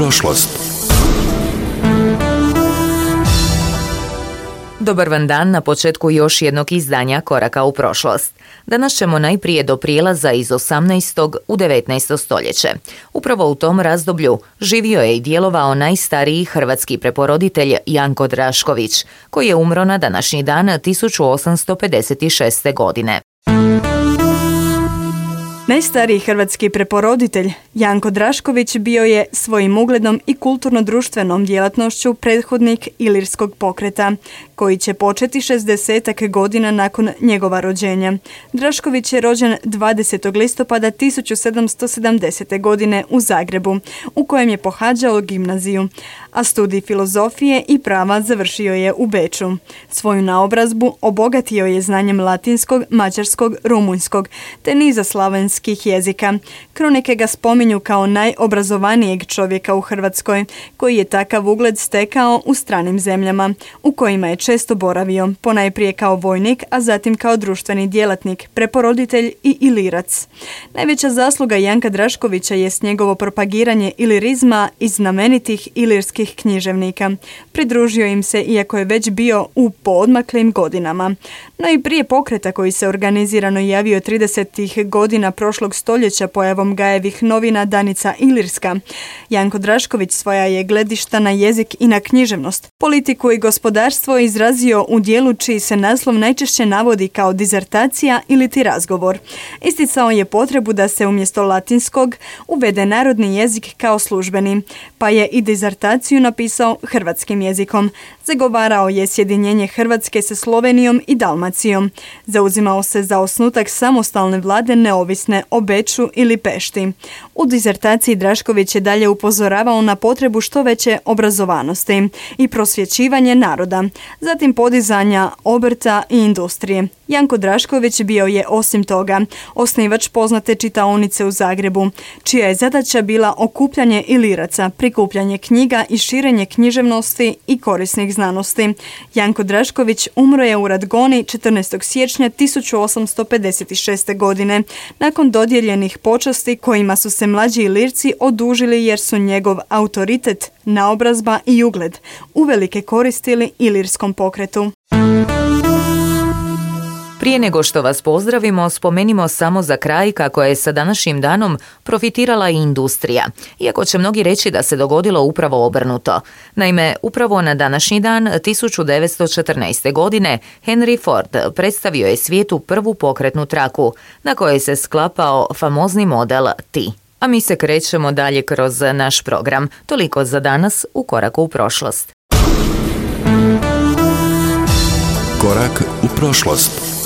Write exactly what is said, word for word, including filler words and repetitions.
prošlost. Dobar vam dan na početku još jednog izdanja Koraka u prošlost. Danas ćemo najprije do prijelaza iz osamnaestog u devetnaesto stoljeće. Upravo u tom razdoblju živio je i djelovao najstariji hrvatski preporoditelj Janko Drašković, koji je umro na današnji dan tisuću osamsto pedeset šeste. godine. Najstariji hrvatski preporoditelj Janko Drašković bio je svojim ugledom i kulturno-društvenom djelatnošću prethodnik Ilirskog pokreta, koji će početi šezdesetak godina nakon njegova rođenja. Drašković je rođen dvadesetog listopada tisuću sedamsto sedamdesete. godine u Zagrebu, u kojem je pohađao gimnaziju, a studij filozofije i prava završio je u Beču. Svoju naobrazbu obogatio je znanjem latinskog, mađarskog, rumunjskog te niza slavenskih jezika. Kronike ga spominju kao najobrazovanijeg čovjeka u Hrvatskoj, koji je takav ugled stekao u stranim zemljama, u kojima je često boravio, ponajprije kao vojnik, a zatim kao društveni djelatnik, preporoditelj i ilirac. Najveća zasluga Janka Draškovića jest njegovo propagiranje ilirizma i znamenitih ilirskih književnika. Pridružio im se iako je već bio u poodmaklim godinama. No i prije pokreta koji se organizirano javio tridesetih godina prošlog stoljeća pojavom Gajevih novina Danica Ilirska, Janko Drašković svoja je gledišta na jezik i na književnost, politiku i gospodarstvo izrazio u dijelu čiji se naslov najčešće navodi kao dizertacija ili ti razgovor. Isticao je potrebu da se umjesto latinskog uvede narodni jezik kao službeni, pa je i dizertaciju napisao hrvatskim jezikom. Zagovarao je sjedinjenje Hrvatske sa Slovenijom i Dalmacijom. Zauzimao se za osnutak samostalne vlade neovisne o Beču ili Pešti. U dizertaciji Drašković je dalje upozoravao na potrebu što veće obrazovanosti i prosvjećivanje naroda, zatim podizanja obrta i industrije. Janko Drašković bio je osim toga osnivač poznate čitaonice u Zagrebu, čija je zadaća bila okupljanje iliraca, prikupljanje knjiga i širenje književnosti i korisnih znanosti. Janko Drašković umro je u Radgoni četrnaestog siječnja tisuću osamsto pedeset šeste. godine, nakon dodijeljenih počasti kojima su se mlađi Ilirci odužili jer su njegov autoritet, naobrazba i ugled uvelike koristili ilirskom pokretu. Prije nego što vas pozdravimo, spomenimo samo za kraj kako je sa današnjim danom profitirala i industrija, iako će mnogi reći da se dogodilo upravo obrnuto. Naime, upravo na današnji dan tisuću devetsto četrnaeste. godine Henry Ford predstavio je svijetu prvu pokretnu traku, na kojoj se sklapao famozni model T. A mi se krećemo dalje kroz naš program. Toliko za danas u Koraku u prošlost. Korak u prošlost.